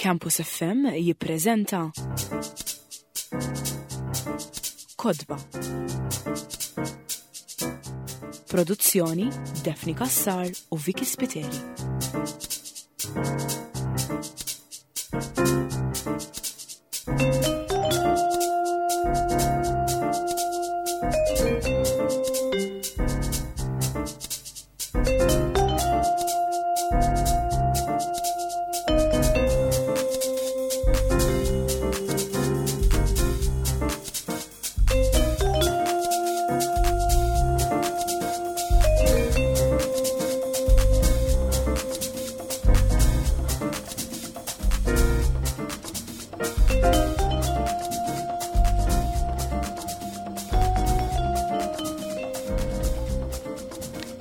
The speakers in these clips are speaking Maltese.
Campus FM jippreżenta Kodba. Produzzjoni Daphne Cassar u Vicky Spiteri.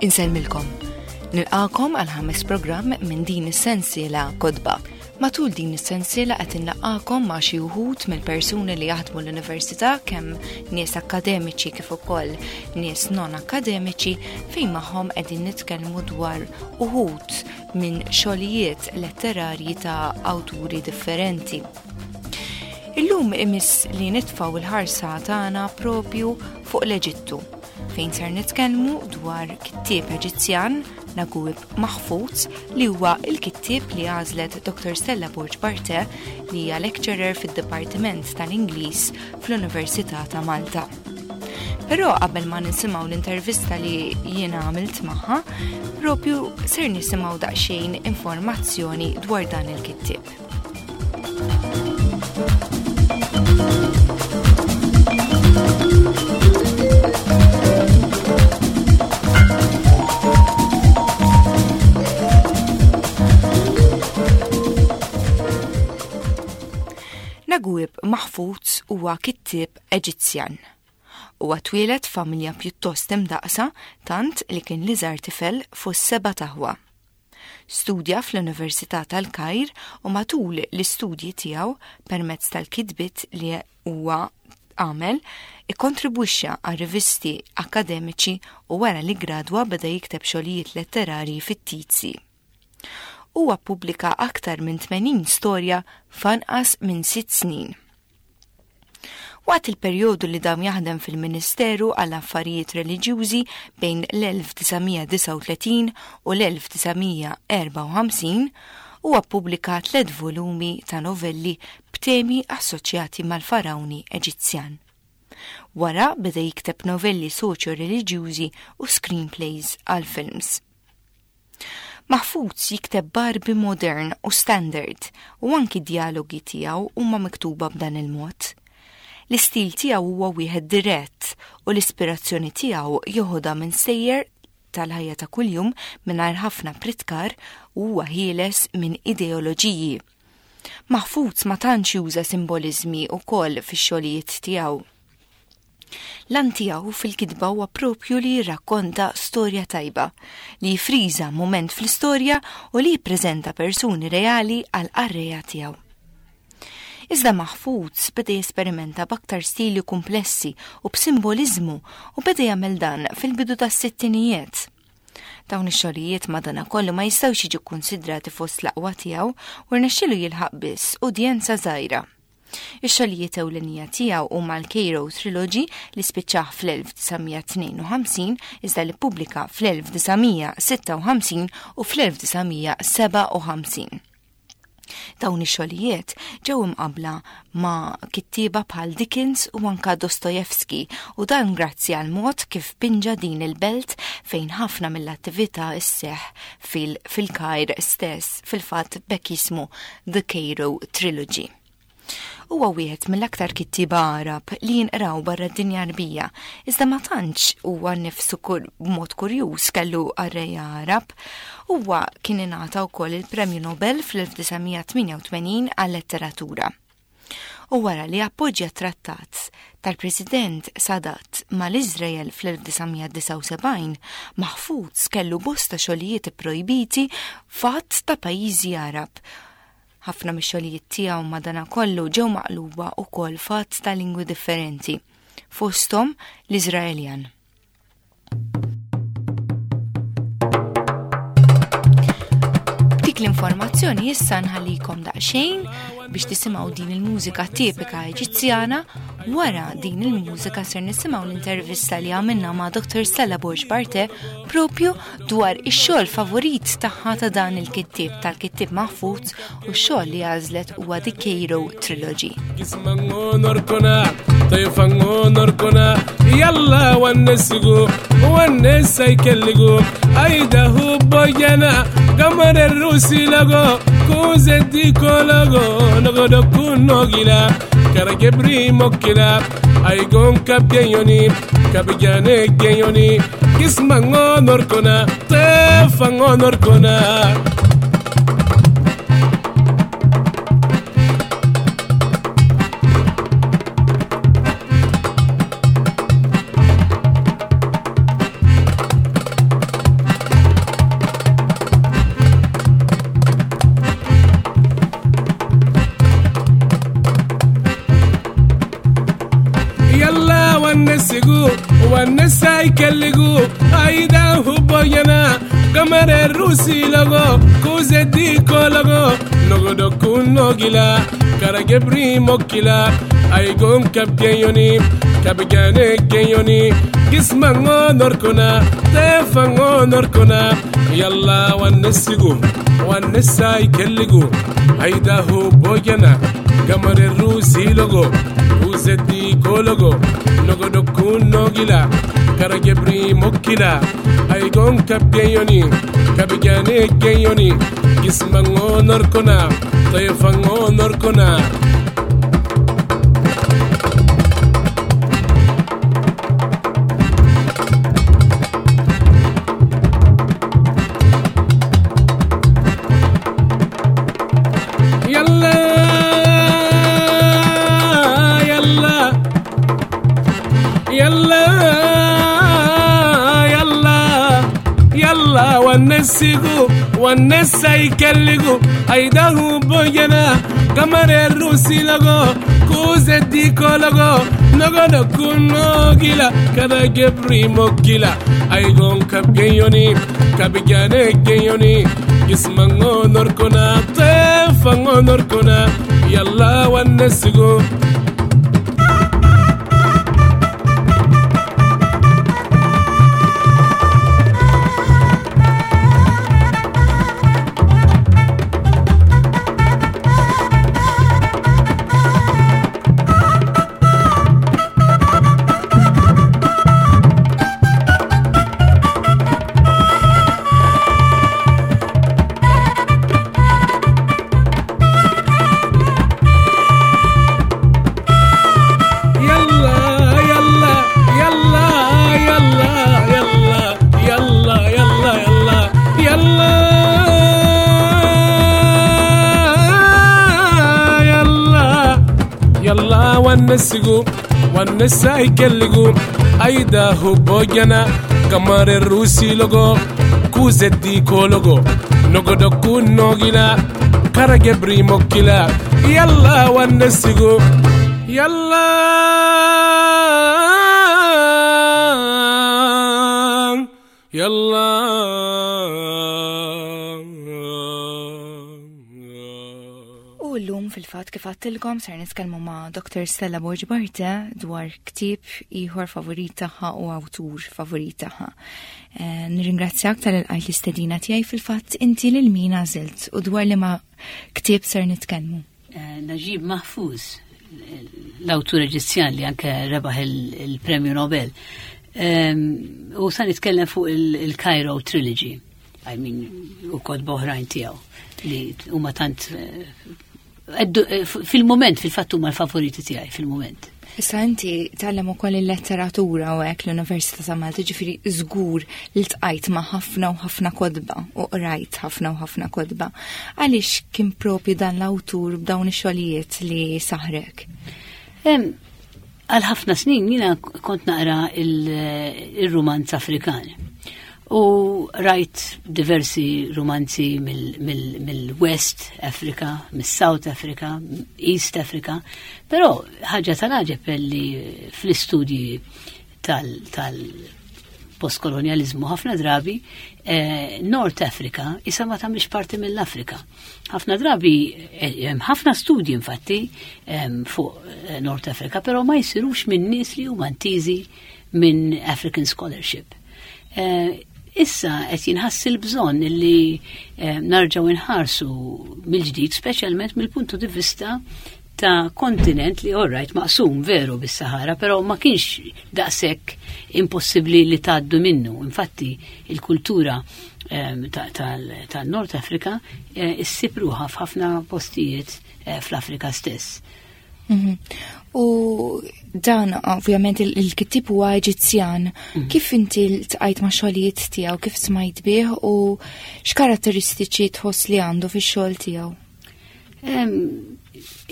Insellmilkom. Nilqakom għal ħames programm minn din is-sensiela Kodba. Matul din is-sensiela qed inlaqakom ma' xi wħud mill-persuni li jaħdmu l-università kemm nies akkademiċi kif ukoll nies non akkademiċi fejn magħhom qegħdin nitkellmu dwar uħud minn xogħlijiet letterarji ta' awturi differenti. Illum imiss li nitfgħu l-ħarsa tagħna propju fuq l-Eġittu, fejn ser nitkellmu dwar kittieb Eġizzjan, Naguib Mahfouz, li huwa l-kittieb li għażlet Dr. Stella Borg Barthe, li hija lecturer fid-Dipartiment tal-Ingliż fl-Università ta' Malta. Però qabel ma nisimgħu l-intervista li jiena għamilt magħha, propju ser nisimgħu daqsxejn informazzjoni dwar dan il-kittieb. Naguib Mahfouz huwa kittieb Eġizzjan. Huwa twieled f'familja pjuttost imdaqqsa tant li kien l-iżgħar tifel fost seba' t'aħwa. Studja fl-Università tal-Kajr u matul l-istudji tiegħu permezz tal-kitbiet li huwa għamel ikkontribwixxa għal rivisti akkademiċi u wara li ggradwa beda jikteb xogħlijiet letterarji fittizji. Huwa ppubblika aktar minn 80 storja f'anqas minn sitt snin. Waqt il-perjodu li dam jaħdem fil-Ministeru għal Affarijiet Reliġjużi bejn l-1939 u l-1954, huwa ppubblika tliet volumi ta' novelli b'temi assoċjati mal-Farawni Eġizzjan. Wara beda jikteb novelli soċjo-reliġjużi u screenplays għal films. Mahfouz jikteb b'Għarbi modern u standard u anki d-djalogi tiegħu huma miktuba b'dan il-mod. L-istil tiegħu huwa wieħed dirett u l-ispirazzjoni tiegħu joħodha minn stejjer tal-ħajja ta' kuljum mingħajr ħafna pritkar u huwa ħieles minn ideoloġiji. Mahfouz ma tantx juża simboliżmi wkoll fix-xogħlijiet tiegħu. L-għan tiegħu fil-kitba huwa propju li jirrakkonta storja tajba, li jifriża mument fl-istorja u li jippreżenta persuni reali għall-qarrejja tiegħu. Iżda Mahfouz beda jesperimenta b'aktar stili kumplessi u b'simboliżmu u beda jagħmel dan fil-bidu tas-sittinijiet. Dawn ix-xogħlijiet madanakollu ma jistgħux jiġu kkunsidrati fost l-aqwa tiegħu u rnexxielu jilħaq biss udjenza żgħira. Ix-xogħlijiet ewlenija tiegħu huma l-Cairo Trilogy li spiċċah fl-1952 iżda li ppubblika fl-1956 u fl-1957. Dawn ix-xogħlijiet ġew imqabbla ma' kittieba bħal Dickens u anka Dostoevsky u dan grazzi għal mod kif pinġa din il-belt fejn ħafna mill-attività sseħħ fil-Kajr stess, fil-fatt b'hekk jismu The Cairo Trilogy. Huwa wieħed mill-aktar kittieba Għarab li jinqraw barra d-dinja Għarbija, iżda ma tantx huwa nnifsu b'mod kurjuż kellu qarrejja Għarab. Huwa kien ingħata wkoll il-Premju Nobel fl-1988 għal-letteratura. U wara li appoġġja t-trattat tal-President Sadat mal-Iżrael fl-1979, Mahfouz kellu bosta xogħlijiet ipprojbiti f'għadd ta' pajjiżi Għarab. Ħafna mix-xogħlijiet tiegħu madanakollu ġew maqluba wkoll f'għadd ta' lingwi differenti, fosthom l-Iżraeljan. B'dik l l-informazzjoni issa nħallikom daqsxejn biex tisimgħu din il-mużika tipika Eġizzjana. Wara din il-mużika ser nisimgħu l-intervista li għamilna ma' Dr. Stella Borg Barte propju dwar ix-xogħol favorit tagħha ta' dan il-kittieb tal-kittieb Mahfouz u x-xogħol li għażlet huwa The Cairo Trilogy. يلا ونسقو والناس يكلقو ايده بوجنا قمر الروسي لقو كوزدي كولغو نغدو كونوغيلا كرجبري موكلا ايقون كابجيوني كابجاني جيوني جسمان نوركونا طيفان نوركونا. يلا ونسقو والنسا يكلقو ايدا هبوينا قمر الروسي لغو كوزدي كولغو نغدو كونوغيلا كرجبري موكلا ايقوم كبجيوني كبجاني جيوني جسمان نوركونا تيفان نوركونا. يلا ونسقو والنسا يكلقو ايدا هبوينا قمر الروسي لغو وزدي كولغو نغدو كونوغيلا كرجبري موكلا ايقوم كبجيوني كبجاني جيوني جسمان نوركونا طيفان نوركونا. يلا يلا يلا يلا يلا ونسقو والناس يكلقو ايده بوجنا قمر الروسي لغو كوزدي كولغو نغدو كونوغيلا كذا جبري موكيلا ايغون كبجيوني كبجاني جيوني جسمان نوركونا طيفان نوركونا. يلا ونسقو. يلا يلا يلا يلا يلا يلا يلا يلا يلا يلا يلا ونسقو والنسا يكلقو ايدا هبوجنا قمر الروسي لغو كوزدي كولغو نغدو كونوغيلا كرجبري موكلا. يلا ونسقو يلا يلا. U llum fil-fatt kif għedtilkom ser nitkellmu ma' Dr. Stella Borg Barte dwar ktieb ieħor favorit tagħha u awtur favorit tagħha. Nirringrazzjak tal-ilqajt l-istedina tiegħi fil-fatt inti lil min għażilt u dwar li ma' ktieb ser nitkellmu. Najib Mahfouz, l-awtur Eġizzjan li anke rebaħ il-Premju Nobel. U sa nitkellem fuq il-Cairo Trilogy, I mean, u kotba oħrajn tiegħu li huma tant fil-moment, fil-fatt huma l-favoriti tiegħi fil-moment. Issa inti tgħallem ukoll il-letteratura u hekk l-Università ta' Malta, ġifieri żgur li ltqajt ma' ħafna u ħafna kotba u qrajt ħafna u ħafna kotba. Għaliex kien propju dan l-awtur b'dawn ix-xogħlijiet li saħrek? Għal ħafna snin jiena kont naqra il-rumanz Afrikan. U rajt diversi romanzi mill-West Africa, mill-South Africa, East Africa, però ħaġa tal-għaġeb li fl-istudji tal-poezija tal-postkolonjalizmu ħafna drabi eh, North Africa issa ma tagħmilx parti mill-Afrika. Ħafna drabi eh, hemm ħafna studji infatti fuq eh, North Africa, però ma jsirux minn nies li huma ntiżi minn African scholarship. Issa qed jinħass il-bżonn li narġgħu inħarsu mill-ġdid, speċjalment mill-puntu di vista ta' kontinent li orrajt maqsum veru bis-Sahara, però ma kienx daqshekk impossibbli li tgħaddu minnu. Infatti il-kultura ehm, tal-Nord Afrika eh, issib ruħha f'ħafna postijiet eh, fl-Afrika stess. Mhm. U dan ovvjament il-kittib huwa Eġizzjan. Mhm. Kif inti ltqajt ma' xogħlijiet tiegħu, kif smajt bih u x'karatteristiċi tħoss li għandu fix-xogħol tiegħu?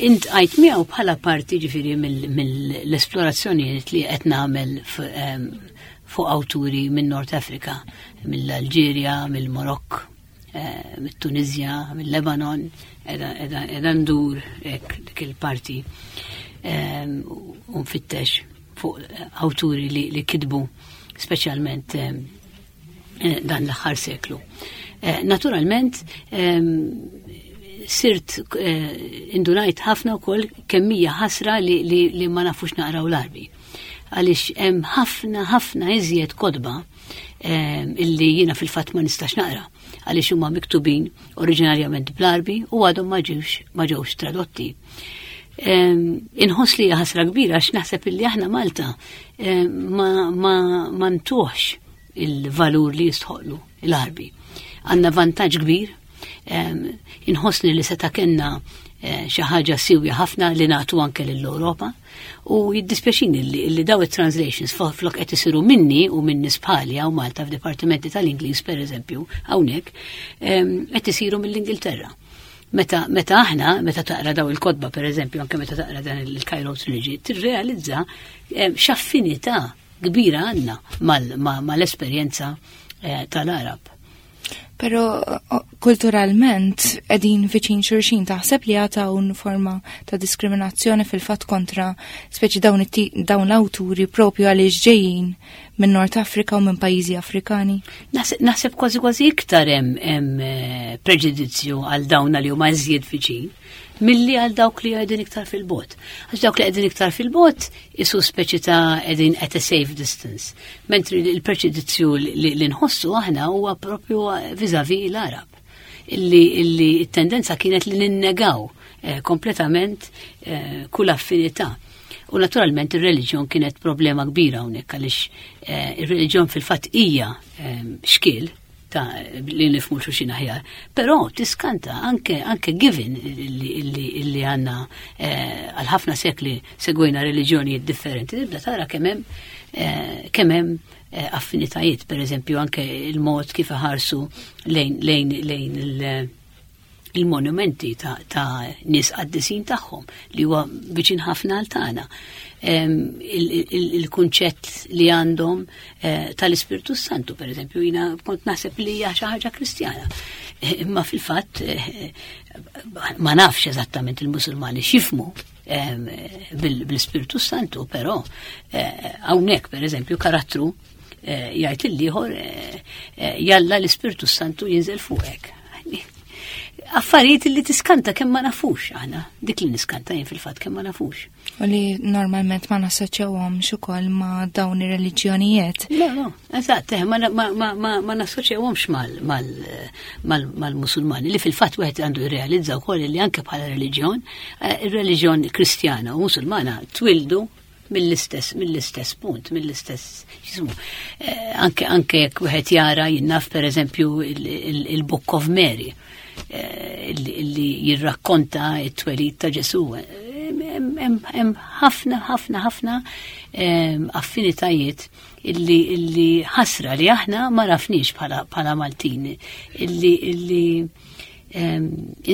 Intqajt miegħu bħala parti ġifieri mill-esplorazzjonijiet li qed nagħmel fuq awturi minn Nord Afrika, mill-Alġerja, mill-Marokk, eh, mit-Tunizja, mill-Lebanon, edha ndur hekk dik il-parti u nfittex fuq awturi li kitbu speċjalment eh, dan l-aħħar seklu. Eh, naturalment, sirt eh, indunajt ħafna wkoll kemm hija ħasra li, li, li ma nafux naqraw l-arbi. Għaliex hemm ħafna ħafna iżjed kodba illi jiena fil-fatt ma nistax naqra għaliex huma miktubin oriġinarjament bl-arbi u għadhom ma ġewx ma ġewx tradotti. Inħoss li ħasra kbira għax naħseb illi aħna Malta ma, ma, ma ntuħx il-valur li jistħoqlu l-Għarbi. Għandna vantaġġ kbir, inħossni li seta' kellna eh, xi ħaġa siwja ħafna li nagħtu anke lill-Ewropa u jiddispjaċini li, li daw it-translations flok qed isiru minni u minn nies bħali hawn Malta f'dipartimenti tal-Ingliż pereżempju hawnhekk qed isiru mill-Ingilterra. Meta, meta aħna, meta taqra daw il-kodba per eżempju, anke meta taqra dan il-Cairo Trilogy, tirrealizza x'affinità kbira għandna mal-esperjenza eh, tal-Arab. Pero kulturalment edin viċin xurxin taħseb li għata un forma ta' diskriminazzjoni fil-fat kontra speċi dawn, dawn l-awturi propju għaliex ġejjin minn Nord Afrika u minn pajjiżi Afrikani? Naħseb kważi kważi iktar hemm eh, preġudizzju għal dawn li huma iżjed viċin milli għal dawk li qegħdin iktar fil-bot. Għax dawk li qegħdin iktar fil-bot isu speċi ta' qegħdin at a safe distance. Mentri il-preġudizzju li nħossu aħna huwa propju viżavi l-Arab. Illi, illi t-tendenza kienet li ninnegaw eh, kompletament eh, kull affinità. U naturalment ir-reliġjon kienet problema kbira hawnhekk għaliex eh, ir-reliġjon fil-fatt hija eh, xkiel ta' li nifmu xulxin aħjar. Però tiskanta anke anke given li għandna eh, għal ħafna sekli segwejna reliġjonijiet differenti, tibda tara kemm hemm eh, kemm hemm eh, affinitajiet, per eżempju anke il-mod kif iħarsu lejn lejn lejn il- il-monumenti ta', ta nies qaddisin tagħhom li huwa viċin ħafna għal tagħna. Il-kunċett li għandhom eh, tal-Ispirtu Santu, per eżempju, jina kont naħseb li hija xi ħaġa Kristjana. Eh, imma fil-fatt eh, ma nafx eżattament il-Musulmani x'jifmu bil-Ispirtu Santu, però hawnhekk per eżempju karattru jgħid il-ieħor jalla l-Ispirtu Santu jinżel fuqek. Affarijiet li tiskanta kemm ma nafux aħna, dik li niskanta jien fil-fatt kemm ma nafux. U li normalment ma nassoċjawhomx ukoll ma' dawn ir-reliġjonijiet. No, no, eżatt, eh, ma, ma, ma, ma, ma nassoċjawhomx mal-Musulmani li fil-fatt wieħed għandu jirrealizza wkoll li anke bħala reliġjon, eh, ir-reliġjon Kristjana u Musulmana twildu mill-istess mill-istess punt, mill-istess jismu. Eh, anke anke jekk wieħed jara jinnaf pereżempju il-Book of Mary eh, li jirrakkonta t-twelid ta' Ġesu. Hemm ħafna ħafna ħafna affinitajiet illi illi ħasra li aħna ma rafniex bħala Maltin illi illi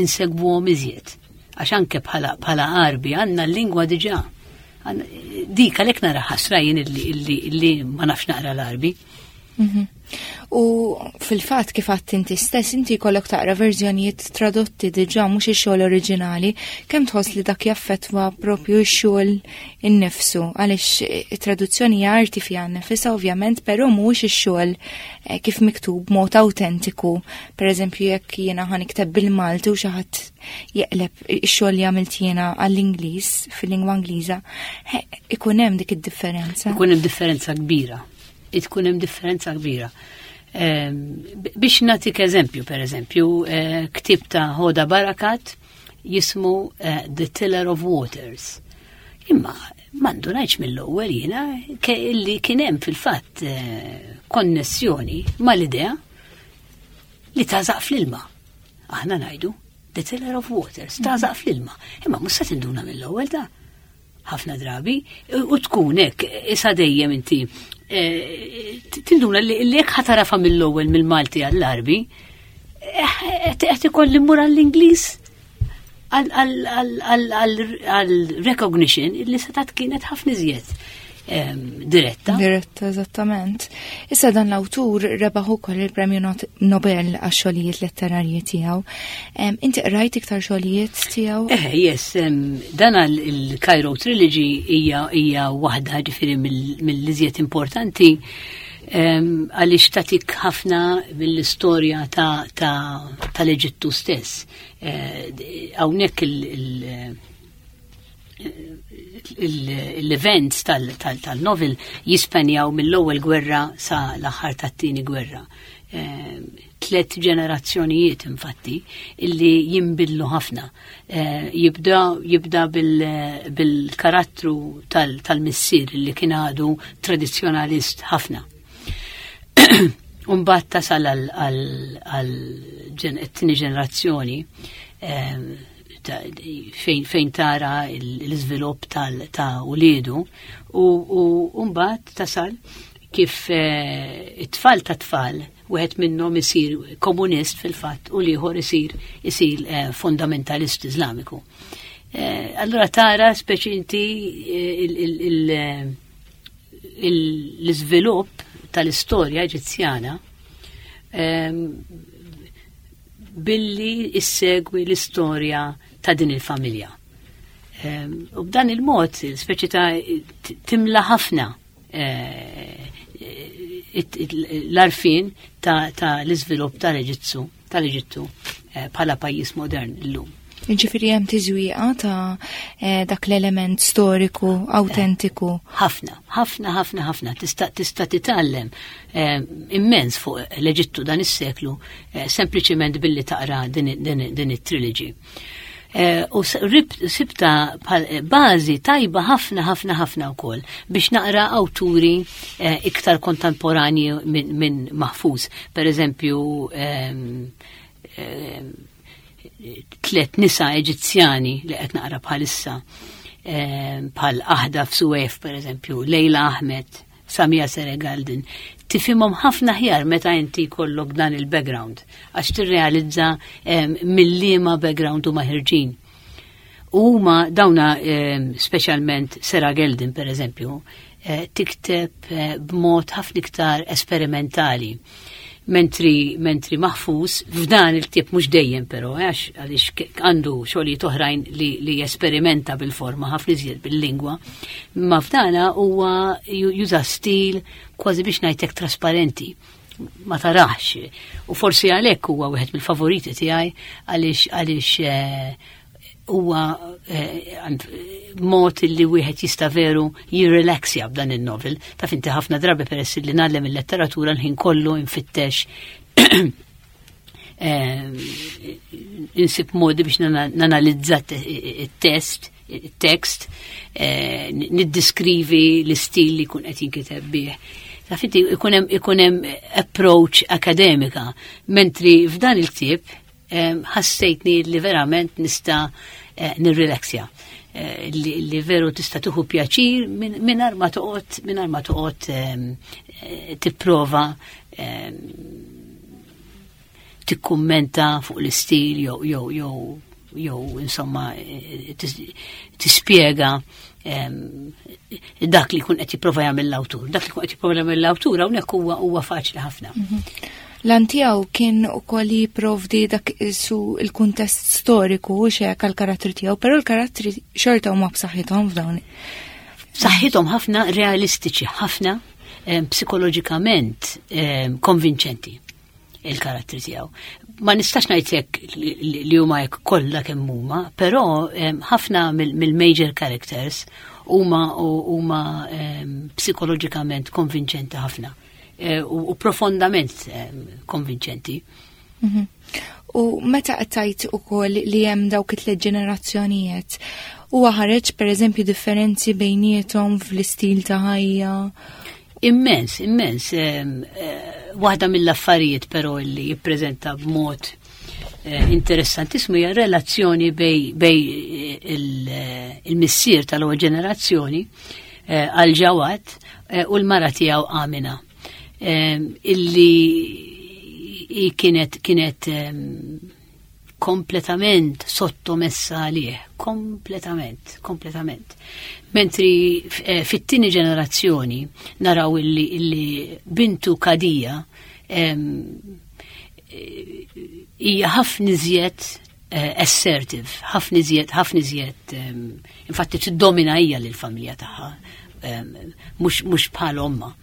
insegwuhom iżjed. Għax anke bħala Għarbi għandna l-lingwa diġà. Dik għalhekk nara ħasra jien illi ma nafx naqra l-Għarbi. U fil-fatt kif għadt inti stess, inti jkollok taqra verżjonijiet tradotti diġà mhux ix-xogħol oriġinali, kemm tħoss li dak jaffettwa propju x-xogħol innifsu għaliex it-traduzzjoni hija arti fiha nnifisha ovvjament, però mhuwiex ix-xogħol eh, kif miktub b'mod awtentiku. Pereżempju jekk jiena ħa nikteb bil-Malti u xi ħadd jeqleb ix-xogħol li għamilt jiena għall-Ingliż fil-lingwa Ingliża, ikun hemm dik id-differenza. Ikun hemm differenza kbira. Ikun hemm differenza kbira. Ehm, biex nagħtik eżempju, per eżempju, eh, ktieb ta' Hoda Barakat jismu eh, The Tiller of Waters. Imma mandu ngħidx mill-ewwel jiena li kien hemm fil-fatt eh, konnessjoni mal-idea li tażaq fl-ilma. Aħna ngħidu the tiller of waters, tażaq fl-ilma. Imma mhux se tinduna mill-ewwel ta' ħafna drabi u tkun hekk isa dejjem inti eh, tinduna li jekk ħatarafa mill-ewwel mill-Malti għall-Arbi eh, qed ikolli mmur għall-Ingliż għal recognition li setat kienet ħafna iżjed diretta. Diretta, eżattament. Issa dan l-awtur rebaħ ukoll il-Premju Nobel għax xogħlijiet letterarji tiegħu. Inti qrajt iktar xogħlijiet tiegħu? Eh, yes, dan il-Cairo Trilogy hija hija waħda ġifieri mill-iżjed importanti għaliex tatik ħafna mill-istorja tal-Eġittu stess. Eh, hawnhekk l-events tal-novel jispenjaw mill-ewwel gwerra sa l-aħħar tat-tieni gwerra. Ehm, tlet ġenerazzjonijiet infatti illi jimbillu ħafna. Eh, jibda jibda bil-karattru tal-missier li kien għadu tradizzjonalist ħafna. Umbat tasal għal tieni ġenerazzjoni ehm, fejn tara l-iżvilupp ta' uliedu u mbagħad tasal kif eh, it-tfal ta' tfal wieħed minnhom isir komunist fil-fatt u l-ieħor isir isir eh, fundamentalist Iżlamiku. Eh, allura tara speċi inti l-iżvilupp tal-istorja Eġizzjana ehm, billi issegwi l-istorja ta' din il-familja. Ehm, u b'dan il-mod, speċi ta' timla ħafna eh, l-arfin ta' l-iżvilupp tal-Eġittu tal-Eġittu eh, bħala pajjiż modern illum. Ġifiri hemm tiżwieqa ta' eh, dak l-element storiku, autentiku. Ħafna, ħafna, ħafna, ħafna. Tista' tista' titgħallem eh, immens fuq l-Eġittu dan is-seklu eh, sempliċiment billi taqra din, din, din it-trilogy. U sibta bażi tajba ħafna ħafna ħafna wkoll biex naqra awturi iktar kontemporanji minn min Mahfouz. Per eżempju, ehm, ehm, tlet nisa Eġizzjani li qed naqra bħalissa eh, bħal Aħda f'Suwef per eżempju, Lejla Ahmed, Samia Seregaldin, tifhimhom ħafna ħjar meta inti jkollok dan il-background għax tirrealizza eh, mill-liema background huma ħirġin. U huma dawna eh, speċjalment Sera Geldin per eżempju, tikteb b'mod ħafna iktar esperimentali. Mentri, mentri Mahfouz, f'dan il-ktieb mhux dejjem però, eh, għax għaliex għandu xogħlijiet oħrajn li, li jesperimenta bil-forma ħafna iżjed bil-lingwa, ma f'dana huwa juża stil kważi biex ngħidlek trasparenti ma tarax. U forsi għalhekk huwa wieħed mill-favoriti tiegħi għaliex għaliex eh, huwa eh, mod li wieħed jista' veru jirrelaxja b'dan il-novel. Taf inti ħafna drabi peress li nagħlem il-letteratura l-ħin kollu nfittex eh, insib modi biex nanalizza it-test, it-tekst, eh, niddiskrivi l-istil li jkun qed jinkiteb bih. Taf inti ikun hemm approach akademika, mentri f'dan il-ktieb ħassejtni li verament nista' eh, nirrilaxja. Eh, li veru tista' tuħu pjaċir mingħajr ma toqgħod mingħajr ma toqgħod eh, tipprova tikkummenta fuq l-istil jew jew jew jew insomma tispjega dak li jkun qed jipprova jagħmel l-awtur. Dak li jkun qed jipprova jagħmel l-awtur hawnhekk huwa huwa faċli ħafna. Lan tiegħu kien ukoll jipprovdi dak su il-kuntest storiku u xek għall-karattri tiegħu, però l-karattri xorta huma b'saħħithom f'dawn. B'saħħithom ħafna, realistiċi ħafna, psikoloġikament konvinċenti il-karattri tiegħu. Ma nistax ngħid hekk li huma hekk kollha kemm huma, però ħafna mill-major characters huma huma psikoloġikament konvinċenti ħafna u profondament konvinċenti. U meta qed tgħid ukoll li hemm dawk it-tliet ġenerazzjonijiet, huwa ħareġ pereżempju differenzi bejniethom fl-istil ta' ħajja? Immens, immens. Waħda mill-affarijiet però li jippreżenta b'mod interessantissimu hija relazzjoni bej il-missier tal-ewwel ġenerazzjoni għal Ġawad u l-mara tiegħu Amina. Illi kienet kompletament sottomessa għalih, kompletament, kompletament. Mentri fit-tieni ġenerazzjoni naraw illi bintu Kadija hija ħafna iżjed assertive, ħafna iżjed, ħafna iżjed, infatti tiddomina hija lill-familja tagħha, mhux bħal omma.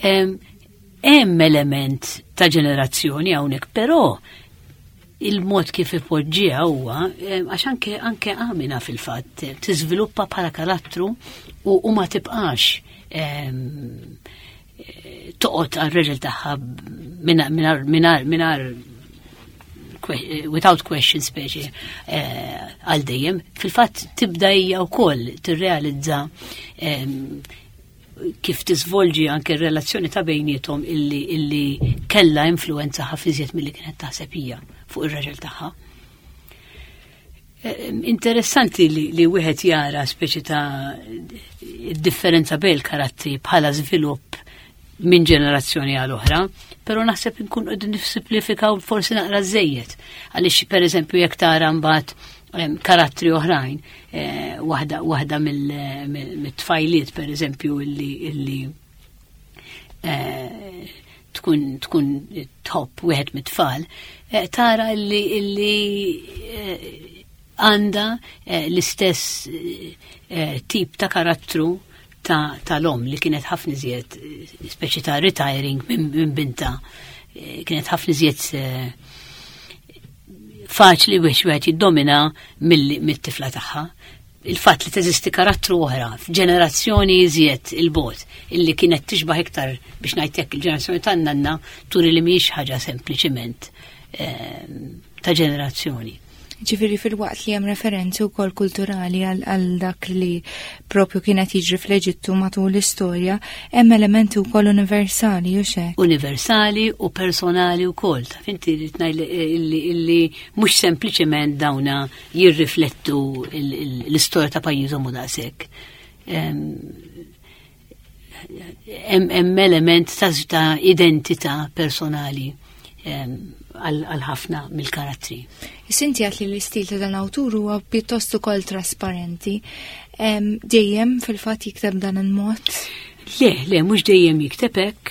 Hemm element ta' ġenerazzjoni hawnhekk, però il-mod kif ipoġġiha huwa għax anke Amina fil-fatt tiżviluppa bħala karattru u ma tibqax toqgħod għal-reġel tagħha minar without question speċi għal dejjem. Fil-fatt tibda hija wkoll tirrealizza kif tiżvolġi anke r-relazzjoni ta' bejniethom illi kella influenza ħafna iżjed milli kienet taħseb hija fuq ir-raġel tagħha. Interessanti li wieħed jara speċi ta' differenza bejn il-karattri bħala żvilupp minn ġenerazzjoni għal oħra, però naħseb nkun qegħdin nissimplifikaw forsi naqra żejjed. Għaliex pereżempju jekk tara mbagħad karattri oħrajn, waħda mit-tfajliet pereżempju illi tkun tħobb wieħed mit-tfal, tara illi għandha l-istess tip ta' karattru tal-om li kienet ħafna iżjed speċi ta' retiring minn binta, kienet ħafna iżjed faċli biex wieħed jiddomina mit-tifla tagħha. Il-fatt li teżisti karattru oħra f'ġenerazzjoni iżjed il-bot illi kienet tixbaħ iktar biex ngħid hekk il-ġenerazzjoni tan-nanna turi li mhijiex ħaġa sempliċiment ta' ġenerazzjoni. Ġifieri fil-waqt li hemm referenzi wkoll kulturali għal dak li propju kienet jiġri fl-Eġittu matul l-istorja, hemm elementi wkoll universali u xek. Universali u personali wkoll. Taf inti rrid ngħid illi mhux sempliċement dawna jirriflettu l-istorja ta' pajjiżhom u daqshekk. Hemm element ta' identità personali għal ħafna mill-karattri. Sinti għat li l-istil ta' dan awtur huwa pjuttost ukoll trasparenti. Dejjem fil-fatt jikteb dan il-mod? Le, le, mhux dejjem jikteb hekk.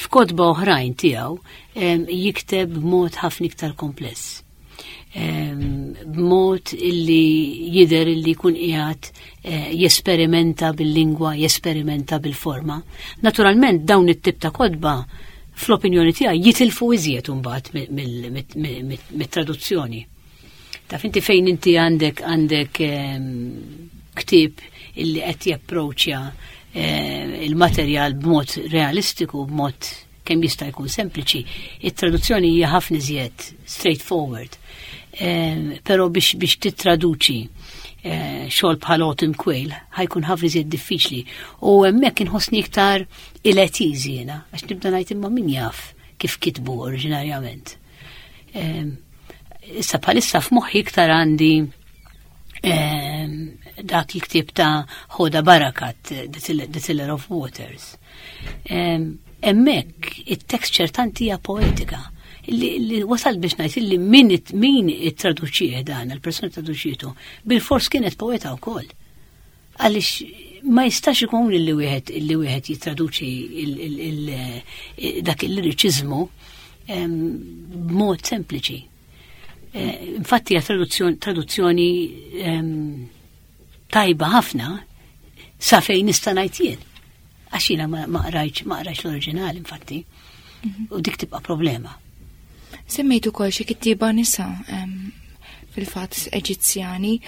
F'kotba oħrajn tiegħu jikteb b'mod ħafna iktar kompless. B'mod illi jidher illi jkun qiegħed jesperimenta bil-lingwa, jesperimenta bil-forma. Naturalment dawn it-tip ta' kotba fl-opinjoni tiegħi jitilfu iżjed imbagħad mit-traduzzjoni. Taf inti fejn inti għandek ktieb illi qed japproċċja il-materjal b'mod realistiku, b'mod kemm jista' jkun sempliċi, it-traduzzjoni hija ħafna iżjed straightforward. Però biex tittraduċi xogħol bħal Autumn Quayle ħajkun ħafna iżjed diffiċli. U hemmhekk inħossni iktar il-etiż jiena, għax nibda ngħid imma min jaf kif kitbu oriġinarjament. Issa bħalissa f'moħħi iktar għandi dak il-ktieb ta' Hoda Barakat, The Tiller of Waters. Hemmhekk it-tekst ċertanti hija poetika. Li wasal biex ngħid li min min ittraduċih dan, il-persuna traduċietu, bil-fors kienet poeta wkoll. Għaliex ma jistax ikun li wieħed li wieħed jittraduċi dak il-liriċiżmu b'mod sempliċi. Eh, infatti hija traduzzjoni tajba ħafna sa fejn nista' ngħid jien. Għax jiena ma qrajtx ma qrajtx l-oriġinal infatti. Mhm. U dik tibqa' problema. Semmejt ukoll xi kittieba nisa fil-fatt Eġizzjani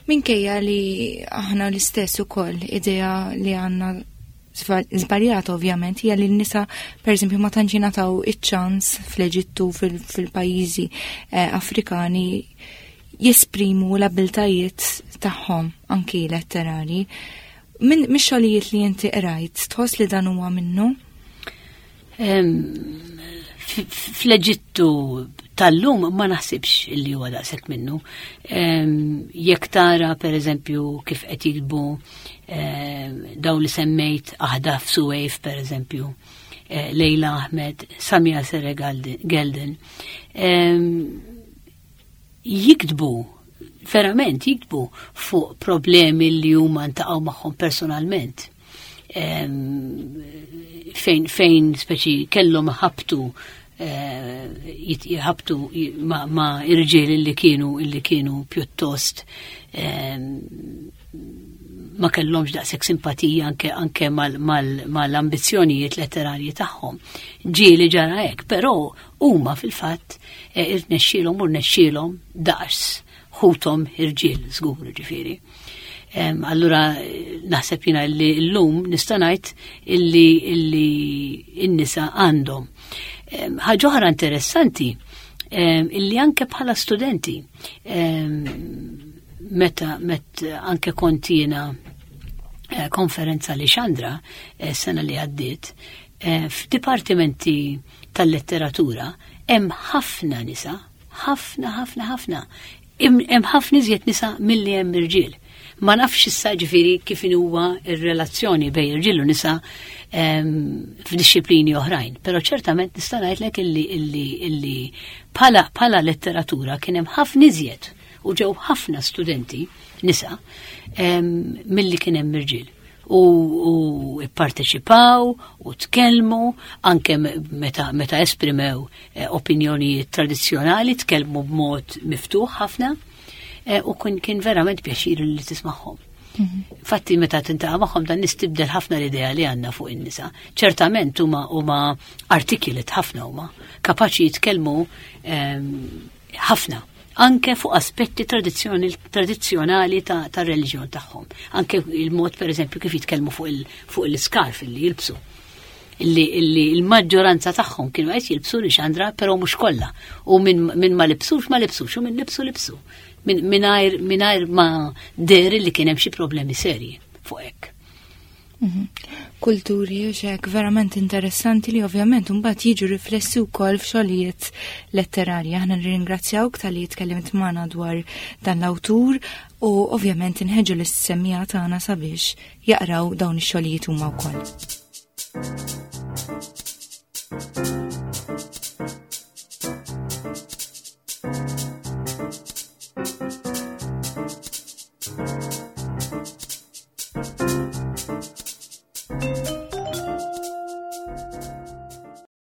minkejja li aħna l-istess ukoll idea li għandna żbaljata ovvjament hija li n-nisa pereżempju ma tantx jingħataw iċ-ċans fl-Eġittu fil-pajjiżi eh, Afrikani jesprimu l-abiltajiet tagħhom anki letterari. Min mix-xogħlijiet li inti qrajt, tħoss li dan huwa minnu? Fl-Eġittu tal-lum ma naħsibx li huwa daqshekk minnu. Jekk tara pereżempju kif qed jiktbu dawn li semmejt Ahdaf Suwejf pereżempju, eh, Lejla Ahmed, Samia Sere Gelden, jiktbu verament jiktbu fuq problemi li huma ntaqgħu magħhom personalment. Fejn fejn speċi kellhom ħabtu eh, jħabtu ma' irġiel li kienu li kienu pjuttost ma kellhomx daqshekk simpatija anke anke mal-ambizzjonijiet letterarji tagħhom. Ġieli ġara hekk, però huma fil-fatt eh, irnexxielhom u rnexxielhom daqs ħuthom irġiel żgur ġifieri. Allura naħseb jiena li llum nista' ngħid illi illi n-nisa għandhom. Ħaġa oħra interessanti illi anke bħala studenti meta met anke kont jiena eh, konferenza li xandra eh, sena li għaddiet eh, f'dipartimenti tal-letteratura hemm ħafna nisa, ħafna ħafna ħafna. Hemm ħafna iżjed nisa milli hemm irġiel. Ma nafx issa ġifieri kif huwa r-relazzjoni bejn irġiel u nisa f'dixxiplini oħrajn, però ċertament nista' ngħidlek illi illi illi bħala bħala letteratura kien hemm ħafna iżjed u ġew ħafna studenti nisa milli kien hemm irġiel u, u ipparteċipaw u tkellmu anke meta, meta esprimew eh, opinjonijiet tradizzjonali tkellmu b'mod miftuħ ħafna eh, u kien, kien verament pjaċir li tismagħhom. Mhm. Fatti meta tintaqa' magħhom dan nistibdel ħafna l-idea li għandna fuq in-nisa. Ċertament huma huma articulate ħafna huma, kapaċi jitkellmu ehm, ħafna anke fuq aspetti tradizzjonali ta', ta reliġjon tagħhom. Anke il-mod per eżempju kif jitkellmu fuq il-skarf il li jilbsu. Illi, illi il-maġġoranza tagħhom kienu qed jilbsu li xandra, però mhux kollha. U minn min ma libsux ma libsux u min libsu libsu. Mingħajr mingħajr ma deri li kien hemm xi problemi serji fuq hekk. Mhm. Kulturi u xek verament interessanti li ovvjament mbagħad jiġu riflessi wkoll f'xogħlijiet letterarji. Aħna nirringrazzjawk tal-li tkellimt magħna dwar dan l-awtur u ovvjament inħeġġu lis-semmiegħa tagħna sabiex jaqraw dawn ix-xogħlijiet huma wkoll.